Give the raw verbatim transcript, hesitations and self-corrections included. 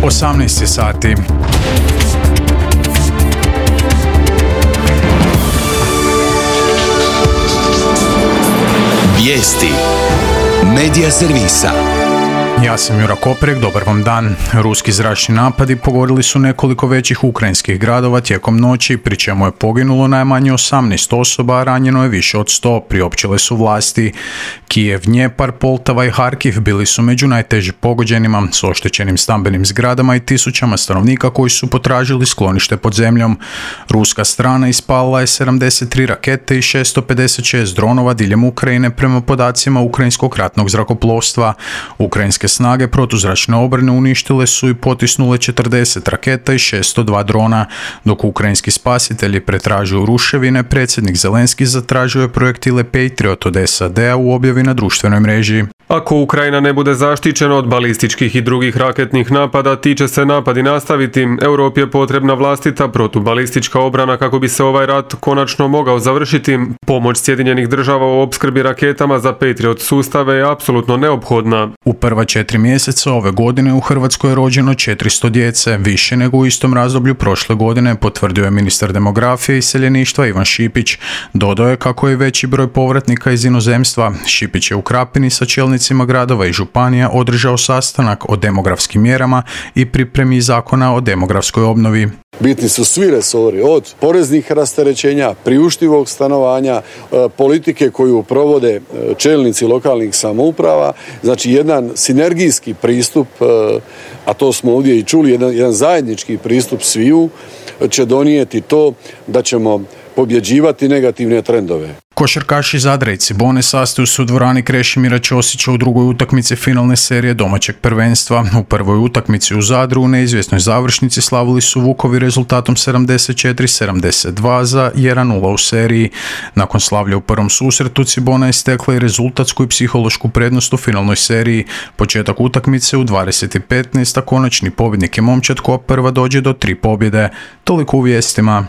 osamnaest sati. Vijesti Medija servisa. Ja sam Jura Koprek, dobar vam dan. Ruski zračni napadi pogodili su nekoliko većih ukrajinskih gradova tijekom noći, pri čemu je poginulo najmanje osamnaest osoba, a ranjeno je više od sto, priopćile su vlasti. Kijev, Dnjepar, Poltava i Harkiv bili su među najteže pogođenima, s oštećenim stambenim zgradama i tisućama stanovnika koji su potražili sklonište pod zemljom. Ruska strana ispalila je sedamdeset tri rakete i šesto pedeset šest dronova diljem Ukrajine prema podacima ukrajinskog ratnog zrakoplovstva. Ukrajinske snage protuzračne obrane uništile su i potisnule četrdeset raketa i šesto dva drona, dok ukrajinski spasitelji pretražuju ruševine. Predsjednik Zelenski zatražio je projektile Patriot od S A D-a u objavi na društvenoj mreži. Ako Ukrajina ne bude zaštićena od balističkih i drugih raketnih napada, ti će se napadi nastaviti. Europi je potrebna vlastita protubalistička obrana kako bi se ovaj rat konačno mogao završiti. Pomoć Sjedinjenih država u opskrbi raketama za Patriot sustave je apsolutno neophodna. U prva četiri mjeseca ove godine u Hrvatskoj je rođeno četiristo djece, više nego u istom razdoblju prošle godine, potvrdio je ministar demografije i iseljeništva Ivan Šipić. Dodao je kako je veći broj povratnika iz inozemstva. Šipić je u Krapini sa čelnicima gradova i županija održao sastanak o demografskim mjerama i pripremi zakona o demografskoj obnovi. Bitni su svi resori, od poreznih rasterećenja, priuštivog stanovanja, politike koju provode čelnici lokalnih samouprava, znači jedan sinergijski pristup, a to smo ovdje i čuli, jedan, jedan zajednički pristup sviju će donijeti to da ćemo pobjeđivati negativne trendove. Košarkaši Zadra i Cibone sastaju se u dvorani Krešimira Ćosića u drugoj utakmici finalne serije domaćeg prvenstva. U prvoj utakmici u Zadru u neizvjesnoj završnici slavili su Vukovi rezultatom sedamdeset četiri sedamdeset dva za jedan nula u seriji. Nakon slavlja u prvom susretu Cibona je stekla i rezultatsku i psihološku prednost u finalnoj seriji. Početak utakmice u dvadeset petnaest, a konačni pobjednik je momčad koja prva dođe do tri pobjede. Toliko u vijestima.